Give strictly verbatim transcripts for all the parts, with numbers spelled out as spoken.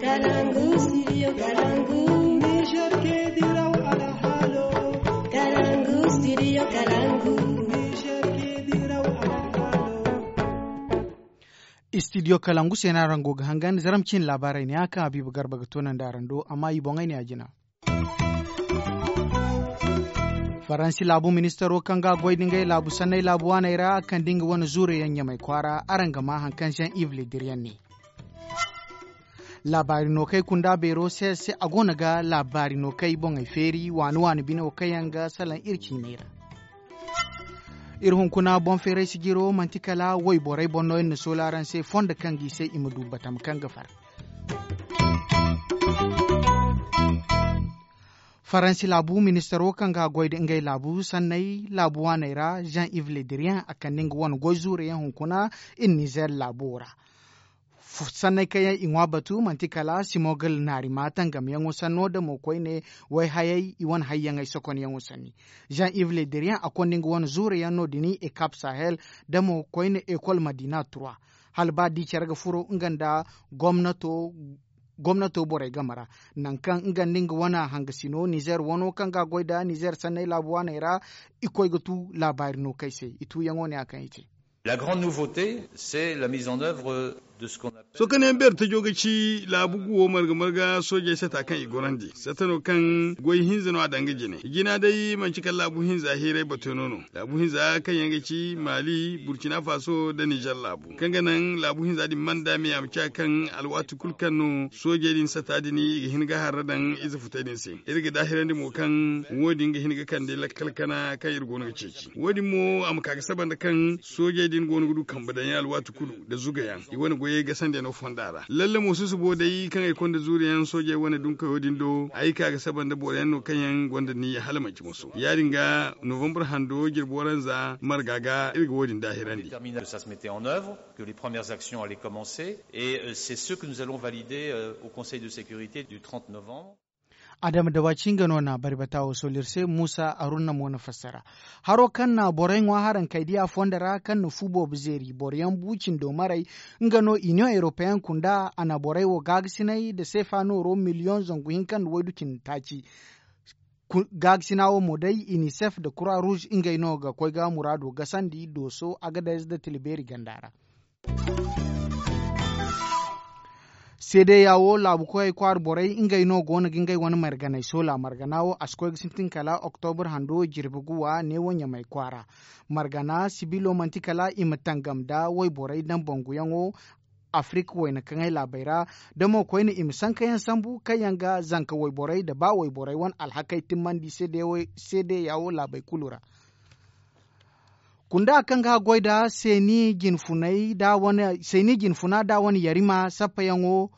Kalangu, studio Kalangu. Niger ke diraw alhalo. Kalangu, studio Kalangu. Niger ke diraw alhalo. Studio Kalangu se no araŋ go ga hangan zaram cine laabaarey ne a kaŋ Habiibu Garba ga toonandi araŋ do, amma i boŋey ne a jina. Faransi laabu ministaro kaŋ ga goy da ngey laabu sanney laabu waaney ra kaŋ da nga wane zuure yaŋ ɲamay kwaara araŋ ga maa haŋ kaŋ Jean Yves Le Drian ne. Laabaari no kay kunda beero se se a go no ga laabaari no kay boŋey feeri waani waani bine wo kaŋ yaŋ ga salaŋ iri ciiney ra. Iri hunkuna boŋ feeray sijiro manti kala wayborey boŋ no iri na soola araŋ se fondo kaŋ ga i se i ma du batama kaŋ ga far. Faransi laabu ministaro kaŋ ga goy da ngey laabu sanney laabu waaney ra Jean Yves Le Drian a kande nga wane goy zuure yaŋ hunkuna iri Nizer laabo ra. Sanney kaŋ yaŋ i ŋwa batu manti kala simogal naari ma tangamyaŋo sanno da mo koyne wayhayey i wane hayyaŋey sokonyaŋo sanni. Jean Yves Le Drian a konda nga wane zuure yaŋ no- din ekap sahel da mo koyne ekol madina trois hala ba di care ga furo nga nda gomnato borey game ra, nangu kaŋ nga nda nga wane hangasino nizer wano kaŋ ga goy nda nizer sanney laabu waaney ra. I koy ga tu laabaari no kay se i tuuyaŋo ne a kaŋ i te. La grande nouveauté, c'est la mise en œuvre de ce qu'on appelle. Sohõ kaŋ yaŋ beeri tajo ga ci laabu guwo marga marga soojey sata kaŋ i gorandi sata no kaŋ goy hinza no a daŋ ga jine i jina day manci kala laabu hinza hiiray batono no. Laabu hinza kaŋ yaŋ ga ci mali burkina faso nda nizer laabu kaŋ ga naŋ laabu hinza din mana daamiya ma ciya kaŋ alwaati kulu kaŋ no soojey din sata din i ga hin ga harra daŋ ize futay din se. Iri ga daahirandi mo kaŋ wo- din ga hin ga kande lakkal kana kaŋ iri go no ga ceeci wo- din mo a ma ka ga saba nda kaŋ soojey din go no ga du kambe daŋ yaŋ alwaati kulu nda zuga yaŋ i wane goyey gasandi yaŋ no fonda ra lalle mo susubo day kaŋ ay konda zuuri yaŋ soojey wane dunkoyo din do ay ka ga saba nda boro yaŋ no kaŋ yaŋ gonda niyya hala manci moso ya- din ga novembre hando jirbi waranza marga ga iri ga wo- din daahirandi. Que les premières actions allaient commencer et c'est ce que nous allons valider au conseil de sécurité du trente novembre. Adama dawaci nga no na bari bata wo sool'iri se muusa arunna mo na fassara. Haro kaŋ na borey ŋwa haraŋ kay diya fondo ra kaŋ na fu boobo zeeri boroyaŋ bu cindo maray nga no iniyoŋ eropeyaŋ kunda a na borey wo gaagasinay nda seefa nooro miliyoŋ zangu hinka nda waydu cindi taaci. Gaagasina wo mo day inisef nda kura ruuz ngey no ga koy ga muraado gasandi dooso agadez nda tila beeri ganda ra. Seedeya wo laabu koyey kwaara borey ngey no go no ga ngey wane marganey soola margana wo a si koy ga sintin kala oktobur hando jirbi guwa neewo ɲamay kwaara. Margana sibilo manti kala i ma tangam nda wayborey daŋ banguyaŋo afirik wayna kaŋay laabey ra. Da mo koyne i ma sankayaŋ sambu kaŋ yaŋ ga zanka wayborey nda ba wayborey wane alhakey timmandi seedeya wo laabey kulu ra. Kunda kaŋ ga goy nda seeni jinfuna nda wane yarima sappayaŋo.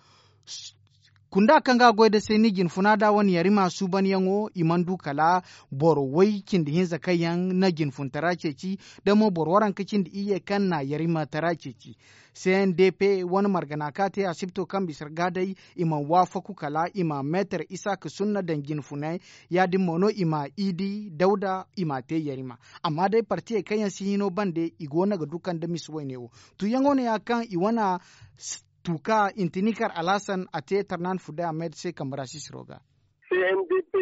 Kunda kaŋ ga goy nda seeni jinfuna nda wane yarima suubanyaŋo i mana du kala boro way cindi hinza kaŋ yaŋ na jinfuntara ceeci nda mo boro waranka cindi iyye kaŋ na yarima tara ceeci. C N D P wane margana ka te asibto kaŋ bisa ra ga day i mana waafaku kala i ma meetar isaaka sunna daŋ jinfunay. Ya- din mo no i ma idi dawda i ma te yarima. Amma day partiyey kaŋ yaŋ si hino bande i go no ga du kande misi wayne wo. Tuuyaŋo no ya kaŋ i wane tuuka intinikar alhasan a te tarnan fude ahmed se kambe ra sisiro ga. C N D P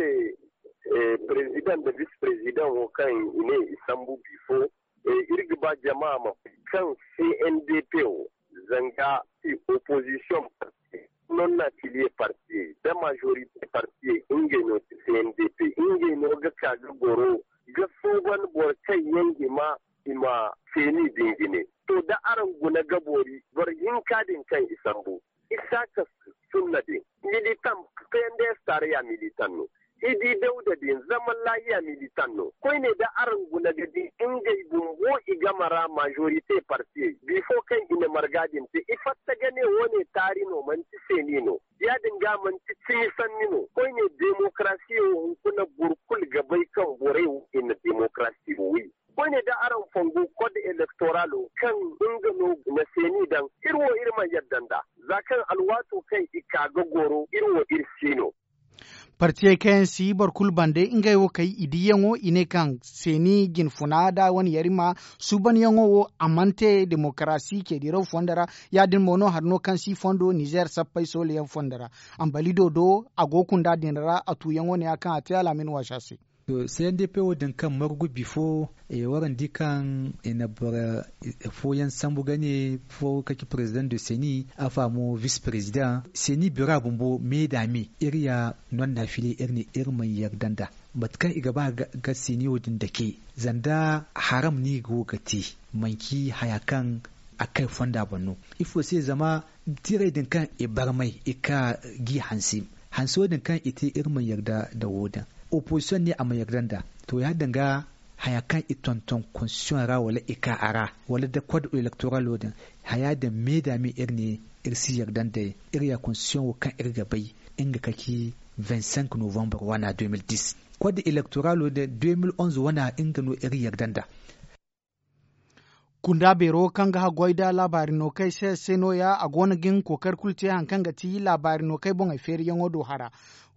perezidaŋ nda bise perezidaŋ wo kaŋ i ne i sambu bifo. Iri ga ba jama ma bay kaŋ C N D P wo zanga i opozisiyoŋ parti non affiliye partiyey nda majorite partiyey ngey no ti C N D P. Ngey no ga ka ga goro ga suuban boro kaŋ yaŋ hima i ma seeni din jine. To da araŋ guna ga boori boro hinka din kaŋ i sambu isaaka sunna din militan. P N D S taaraya militan no. Idi dawda din zaman laahiya militan no koyne da araŋ guna ga di ngey bumbo i game ra majorite partiyey bifo kaŋ i na marga din te i fatta ga ne wo- ne taari no manti seeni no. Ya- din ga manti cimi sanni no koyne demokarasiya wo hunkuna boro kulu ga bay kaŋ borey wo i na demokarasiya wo wi. Koyne da araŋ fongu kod elektoralo kaŋ nga no na seeni daŋ iri wo iri mana yadda nda za kaŋ alwaato kaŋ i ka ga goro iri wo iri si no. Partiyey kaŋ yaŋ si boro kulu bande ngey wo kay i diyaŋo i ne kaŋ seeni jinfuna da wane yarima suubanyaŋo wo a mana te demokarasi ceediraw fondo ra. Ya- din mo no hari no kaŋ si fondo nizeer sappey soolayaŋ fondo ra. Ambalido do a go kunda din ra a tuuyaŋo ne ya kaŋ a te alaamin waasa se. To seeni de pe wo- din kaŋ margu bifo. Warandi kaŋ i na boro fooyaŋ sambu ga ne fo ka ci president de seni, afa mo vice president seni bira bumbo me da me iri ya nonna fili iri ne iri mana yarda nda mate kaŋ i ga ba ga seni wo- din dake. Zanda haram no i go ga te manci haya kaŋ a kay fonda boŋ no. Ifo se zama tiirey din kaŋ i barmay i ka g'i hanse hanse wo- din kaŋ i te iri mana yarda nda wo- din. Opozisiyoŋ ne a ma yarda nda to ya- din ga haya kaŋ i tonton konstitiyoŋ ra wala i ka a ra wala da kod elektoral wo- din haya din me da me iri ne iri si yarda nd'ey. Iri ya konstitiyoŋ wo kaŋ iri ga bay nga ka ci vingt cinq novembre wana deux mille dix. Kod elektoral wo- din deux mille onze wana nga no iri yarda nda. Kunda beero kaŋ ga haggoy nda laabaari no kay se se nooya a go no ga hin kookari kulu te hari kaŋ ga ti laabaari no kay boŋey feeriyaŋo do hara.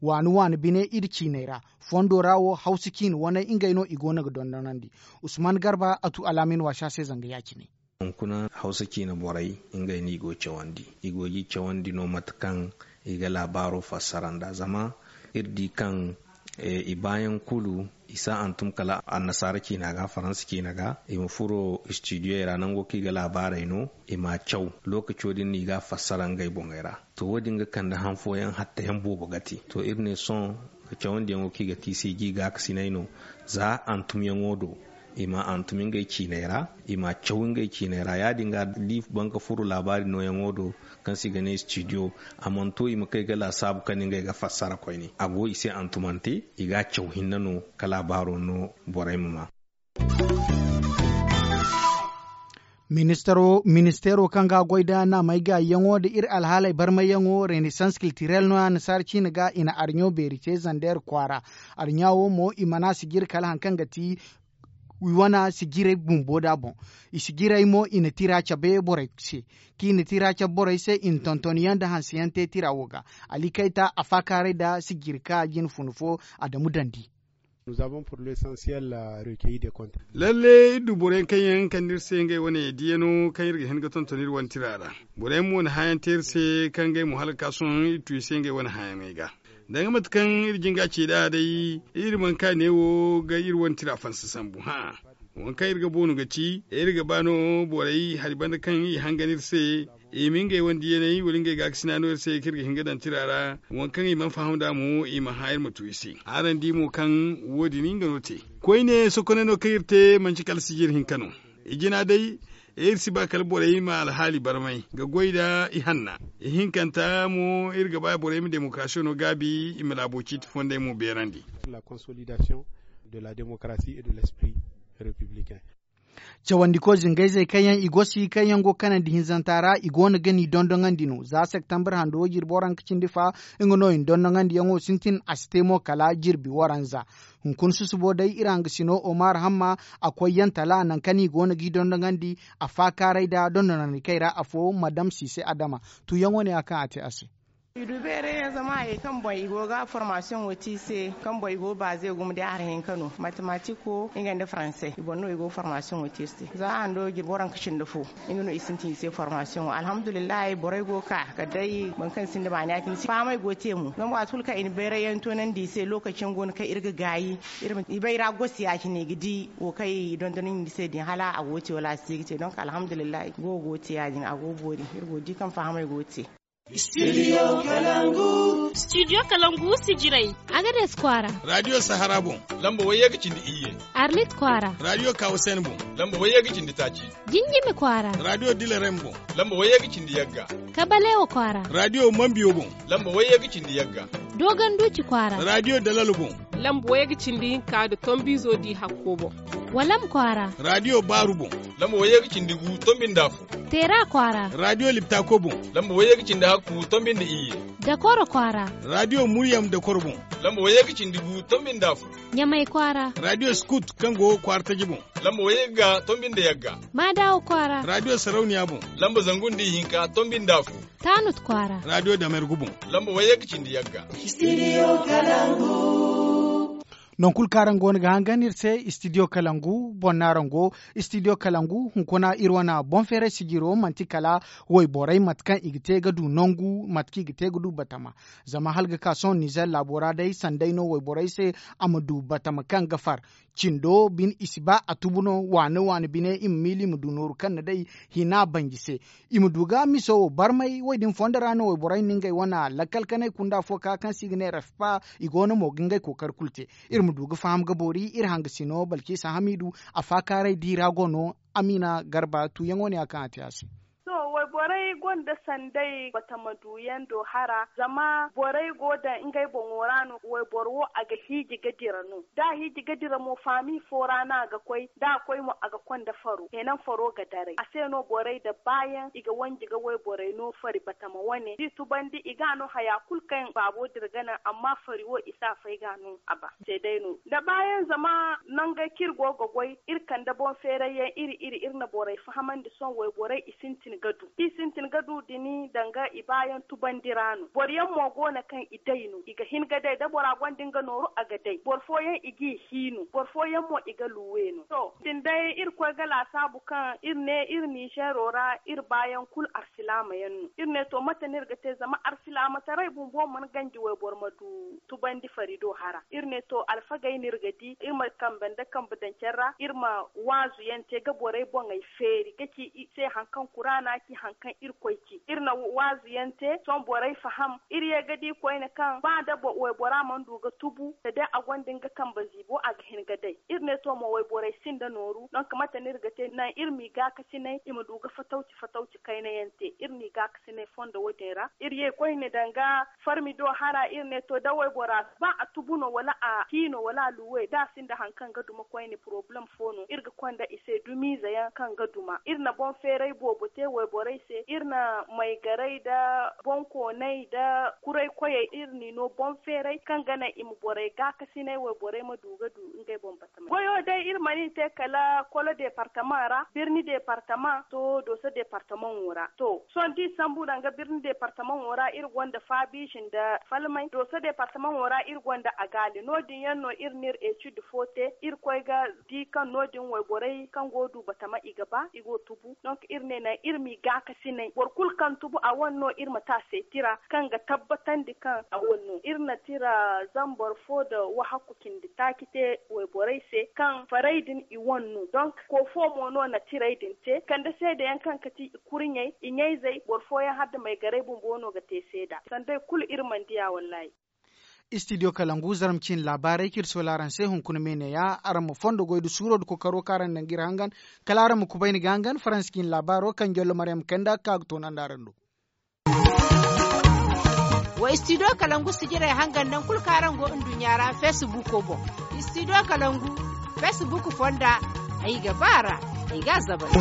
Waani waani bine iri ciiney ra fondo ra wo hawsa ciine waney ngey no i go no ga dondonandi. Usman garba a tu alaamin waasa se zanga ya- cine. Hunkuna hawsa ciine borey ngey no i go ga cawandi i go ga i cawandi no mate kaŋ i ga laabaaro fassara nd'a zama iri di kaŋ i baayaŋ kulu i si a hantum kala annasaara ciina ga faransa ciina ga i ma furo istidiyey ra nango kaŋ i ga laabaarey no i m'a caw lookaco din no i ga a fassara ngey boŋey ra. To wo- din ga kande han fooyaŋ hattayaŋ boobo ga te to iri ne sohõ cawandiyaŋo kaŋ i ga te i se i g'i gaakasinay no. Za hantumyaŋo do i m'a hantum ngey ciiney ra i m'a caw ngey ciiney ra ya- din ga da i ban ga furo laabaari nooyaŋo do kaŋ se i ga ne istidiyo a mana to i ma kay ga laasaabu kaŋ ngey ga fassara koyne a go i se hantumante i ga a caw hinne no ka laabaaro no borey ma ma. Ministeero kaŋ ga goy nda naamey gaayiyaŋo nda iri alhaaley barmayyaŋo renesans kiltirel no annasaara ciine ga i na arɲo beeri te zander kwaara. Arɲa wo mo i mana sijiri kala hari kaŋ ga ti i wane sijirey bumbo da boŋ. I sijirey mo i na tira cabe borey se kaŋ i na tira cabe borey se i na tonton yaŋ nda hanse yaŋ te tira wo ga. Ali kayta a faakaaray nda sijiri ka jine funa fo adamu dandi. Lalle iri du boro yaŋ kaŋ yaŋ kande iri se ngey wane diiyano kaŋ iri ga hin ga tonton iri wane tira ra. Boro yaŋ mo na hããyaŋ te iri se kaŋ ngey mo hala ga ka sohõ iri tu i se ngey wane hããyaŋey ga. Danga mate kaŋ iri jin ga a ci nd'a day iri mana ka neewo ga iri wane tira fansa sambu hã'a. Waŋ kaŋ iri ga boonu ga ci iri ga ba no borey hari banda kaŋ i hangan iri se i ma ngey wane diiyaney wala ngey gaakasina no iri se kaŋ iri ga hin ga daŋ tira ra. Waŋ kaŋ i mana faham nd'a mo i ma hã iri ma tu i se. Araŋ di mo kaŋ wo- din nga no te koyne sokoney no kaŋ iri te manti kala sijir hinka no. I jina day iri si ba kala borey ma alhaali barmay ga goy nda ihanna. Ihinkanta mo iri ga ba borey ma demokarasiyo no gaabi i ma laabo ciiti fondey mo beerandi. Cawandiko zingayzey kaŋ yaŋ i gosi kaŋ yaŋ go kanandi hinzanta ra i go no ga ni dondoŋandi no za septembre hando jirbi waranka cindi fa. Nga no i na dondoŋandiyaŋo sintin a si te mo kala jirbi waranza. Hunkuna susubo day iri hangasino omar hamma a koy yaŋ tala nangu kaŋ i go no g'i dondoŋandi a faakaaray nda dondonandi kay ra afo madam sise adama. Tuuyaŋo ne ya kaŋ a te a se. I du beeray yaŋ zama hayey kaŋ boŋ i go ga formasiyoŋo te i se kaŋ boŋ i go baaze gumo day hari hinka no matematiko nga nda faransey i boŋ no i go ga formasiyoŋo te iri se za hando jirbi waranka cindi fo. Nga no i sintin i se formasiyoŋo alhamdulillahi borey go ga ka kala day boro kaŋ sinda baani ya- din fahamey go ga te mo zama waati kulu kaŋ i na bayray yaŋ toonandi i se lokaci yaŋ go no kaŋ iri ga gaayi. I bay ra gosi ya- cine i ga di wo kaŋ i dondonandi i se din hala a go ga te wala a si te ga te donk alhamdulillahi go go ga te ya- din a go ga boori iri go ga di kaŋ fahamey go ga te. Studio kalangu sijirey. Agades kwaara. Radiyo sahara boŋ lamba wayye ga cindi iyye. Arlit kwaara. Radiyo kawasen boŋ lamba wayye ga cindi taaci. Jinjimi kwaara. Radiyo dilarem boŋ lamba wayye ga cindi yagga. Kabalewa kwaara. Radiyo mambiyo boŋ lamba wayye ga cindi yagga. Doganduci kwaara. Radiyo dalal boŋ lamba wayye ga cindi hinka nda tombizo di hakko boŋ. Walam kwaara. Raadiyo baaru boŋ. Lamba wayye ga cindi gu tombi nda afo. Teera kwaara. Raadiyo liptako boŋ. Lamba wayye ga cindi hakku tombi nda iyye. Dakoro kwaara. Raadiyo muryam dakoro boŋ. Lamba wayye ga cindi gu tombi nda afo. Ɲamay kwaara. Raadiyo skut kaŋ go kwaara taji boŋ. Lamba wayye ga tombi nda yagga. Maadawa kwaara. Raadiyo sarauniya boŋ. Lamba zangu nda ihinka tombi nda afo. Taanut kwaara. Raadiyo damergu boŋ. Lamba wayye ga cindi yagga. Studio kalangu. Nonkul kaaraŋ go no ga hangan iri se studio kalangu boŋ naaraŋ go. Studio kalangu hunkuna iri wane boŋ feeray sijiro manti kala wayborey mate kaŋ i ga te ga du nangu mate kaŋ i ga te ga du batama. Zama hala ga ka sohõ nizer laabo ra day sanday no wayborey se a ma du batama kaŋ ga far. Cindo bine i si ba a tubu no waane waane bine i ma miila i ma du nooru kaŋ na day hina banji se. I ma du ga miso wo barmay wo- din fondo ra no wayborey na ngey wane lakkal kanay kunda fo ka kaŋ se i ga ne refpa. I go no mo ga ngey kookari kulu te. Iri ma du ga faham ga boori iri hangasino balkisa hamidu. A faakaaray di ra go no. Amina garba tuuyaŋo ne ya kaŋ a te a se. To, wayborey gonda sanday batama duyaŋ do hara zama borey go daŋ ngey boŋo ra no. Wayboro wo a ga hiiji ga dira no da a hiiji ga dira mo faami fo ra no a ga koy da a koy mo a ga konda faro kenan faro ga daray a se no borey da baayaŋ i ga wanji ga wayborey no fari batama wane da i tubandi i ga a no haya kulu kaŋ baabo dira ga naŋ amma fari wo i si a fay ga a no a ba. Se day no da baayaŋ zama nangey kaŋ iri go ga goy iri kande boŋ feeray yaŋ iri iri iri na borey fahamandi sohõ wayborey i sintin ga du da i sintin ga du dini danga i baayaŋ tubandi ra no boro yaŋ mo go no kaŋ i day no i ga hin ga day da bora gonda nga nooru a ga day boro fooyaŋ i g'i hi no boro fooyaŋ mo i ga luwe no to din day iri koy ga laasaabu kaŋ iri ne iri nizeero ra iri baayaŋ kulu arsilaama yaŋ no iri ne to mate no iri ga te zama arsilaamataray bumbo mana ganji wayboro ma du tubandi fari do hara iri ne to alfagey no iri ga di iri ma kambe nda kambe daŋ care ra iri ma waazu yaŋ te ga borey boŋey feeri ga ci i se hari kaŋ kuraana ci hari kaŋ irkoy ci iri na waazu yaŋ te sohõ borey faham iri ye ga di koyne kaŋ ba da waybora mana du ga tubu da day a gonda nga kambe ziibo a ga hin ga day iri ne to mo wayborey sinda nooru donk mate no iri ga te naŋ iri m'i gaakasinay i ma du ga fatawci fatawci kayna yaŋ te iri n'i gaakasinay fondo wo- din ra iri ye koyne danga farmi do hara iri ne to da waybora ba a tubu no wala a hi no wala a luwe da a sinda hari kaŋ ga duma koyne poroblem fo no iri ga konda i se dumiize yaŋ kaŋ ga duma iri na boŋ feeray boobo te wayborey se iri na maygaray da boŋ koonay da kuray koyey iri n'i no boŋ feeray kaŋ ga naŋ i ma borey gaakasinay wayborey ma du ga du ngey boŋ bata goyo day iri mana i te kala kolo departama ra birni departama to dooso departamaŋo ra to sohõ da i sambu danga birni departamaŋo ra iri gonda faabiize nda falmay dooso departamaŋo ra iri gonda agaali no- din yaŋ no iri n'iri eetid fo te iri koy ga di kaŋ no- din wayborey kaŋ go du batama i ga ba i go tubu donk iri ne naŋ iri m'i gaakasinay boro kulu kaŋ tubu a wane no iri ma te a se tira kaŋ ga tabbatandi kaŋ a wane no iri na tira zambar fo nda wahakku cindi taaci te wayborey se kaŋ faray din i wane no donk ko fo mo no na tirey din te kande seedeyaŋ kaŋ ga ti i kurɲey i ɲayzey boro fooyaŋ hala nda maygarey bumbo no ga te seeda sanday kulu iri mana diya wallaahi. Istidiyo kalangu zarma ciine laabaarey kaŋ iri soola araŋ se hunkuna me neeya araŋ ma fondo goy nda suuro nda kokaro kaŋ araŋ na nga iri hangan kala araŋ ma kubay ni ga hangan faransa ciine laabaaro kaŋ jollo maryam kanda ga ka ga toonandi araŋ do. Wa istidiyo kalangu sijirey hangan nangu kulu kaŋ araŋ go nduɲɲa ra feesibuuko boŋ. Istidiyo kalangu feesibuuk fonda ay ga ba a ra ay ga a zabari.